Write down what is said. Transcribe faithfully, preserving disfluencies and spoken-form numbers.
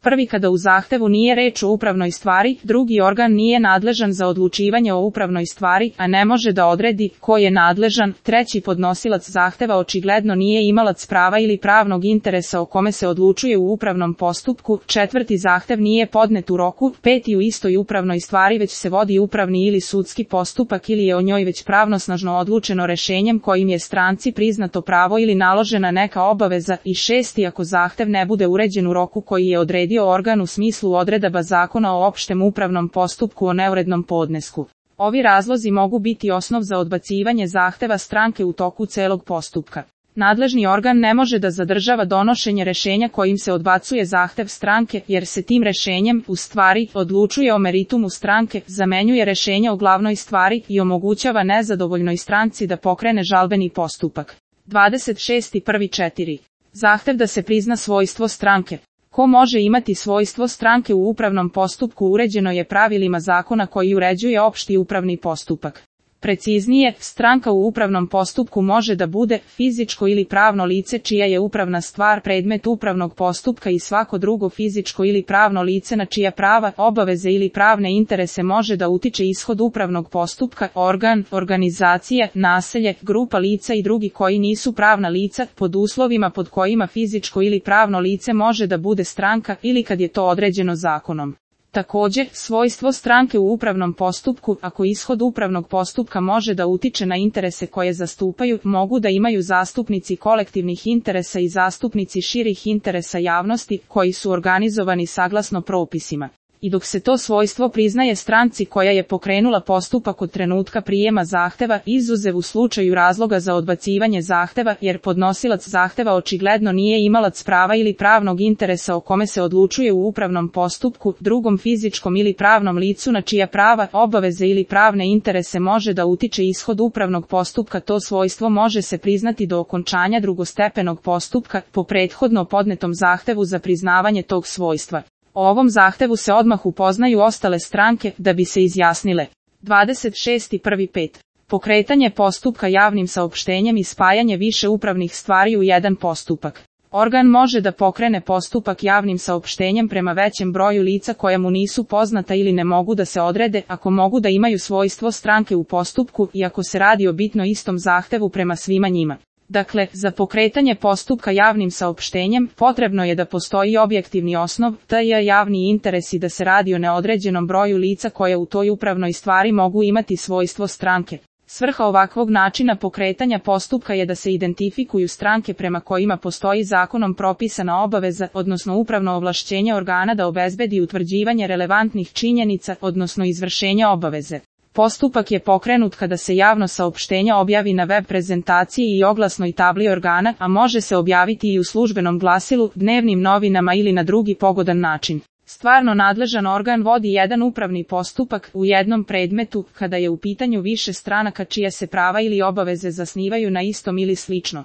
Prvi, kada u zahtevu nije reč o upravnoj stvari, drugi organ nije nadležan za odlučivanje o upravnoj stvari, a ne može da odredi ko je nadležan, treći, podnosilac zahteva očigledno nije imalac prava ili pravnog interesa o kome se odlučuje u upravnom postupku, četvrti, zahtev nije podnet u roku, peti, u istoj upravnoj stvari već se vodi upravni ili sudski postupak ili je o njoj već pravnosnažno odlučeno rešenjem kojim je stranci priznato pravo ili naložena neka obaveza, i šesti, ako zahtev ne bude uređen u roku koji je odredio organ u smislu odredaba Zakona o opštem upravnom postupku o neurednom podnesku. Ovi razlozi mogu biti osnov za odbacivanje zahteva stranke u toku celog postupka. Nadležni organ ne može da zadržava donošenje rešenja kojim se odbacuje zahtev stranke, jer se tim rešenjem, u stvari, odlučuje o meritumu stranke, zamenjuje rešenje o glavnoj stvari i omogućava nezadovoljnoj stranci da pokrene žalbeni postupak. dvadeset šest prvi četiri. Zahtev da se prizna svojstvo stranke. Ko može imati svojstvo stranke u upravnom postupku uređeno je pravilima zakona koji uređuje opšti upravni postupak. Preciznije, stranka u upravnom postupku može da bude fizičko ili pravno lice čija je upravna stvar predmet upravnog postupka i svako drugo fizičko ili pravno lice na čija prava, obaveze ili pravne interese može da utiče ishod upravnog postupka, organ, organizacija, naselje, grupa lica i drugi koji nisu pravna lica, pod uslovima pod kojima fizičko ili pravno lice može da bude stranka ili kad je to određeno zakonom. Također, svojstvo stranke u upravnom postupku, ako ishod upravnog postupka može da utiče na interese koje zastupaju, mogu da imaju zastupnici kolektivnih interesa i zastupnici širih interesa javnosti, koji su organizovani saglasno propisima. I dok se to svojstvo priznaje stranci koja je pokrenula postupak od trenutka prijema zahteva, izuzev u slučaju razloga za odbacivanje zahteva, jer podnosilac zahteva očigledno nije imalac prava ili pravnog interesa o kome se odlučuje u upravnom postupku, drugom fizičkom ili pravnom licu na čija prava, obaveze ili pravne interese može da utiče ishod upravnog postupka, to svojstvo može se priznati do okončanja drugostepenog postupka, po prethodno podnetom zahtevu za priznavanje tog svojstva. O ovom zahtevu se odmah upoznaju ostale stranke, da bi se izjasnile. dvadeset šest prvi pet. Pokretanje postupka javnim saopštenjem i spajanje više upravnih stvari u jedan postupak. Organ može da pokrene postupak javnim saopštenjem prema većem broju lica koja mu nisu poznata ili ne mogu da se odrede, ako mogu da imaju svojstvo stranke u postupku i ako se radi o bitno istom zahtevu prema svima njima. Dakle, za pokretanje postupka javnim saopštenjem, potrebno je da postoji objektivni osnov, tj. javni interes i da se radi o neodređenom broju lica koje u toj upravnoj stvari mogu imati svojstvo stranke. Svrha ovakvog načina pokretanja postupka je da se identifikuju stranke prema kojima postoji zakonom propisana obaveza, odnosno upravno ovlašćenje organa da obezbedi utvrđivanje relevantnih činjenica, odnosno izvršenja obaveze. Postupak je pokrenut kada se javno saopštenje objavi na web prezentaciji i oglasnoj tabli organa, a može se objaviti i u službenom glasilu, dnevnim novinama ili na drugi pogodan način. Stvarno nadležan organ vodi jedan upravni postupak u jednom predmetu, kada je u pitanju više stranaka čija se prava ili obaveze zasnivaju na istom ili slično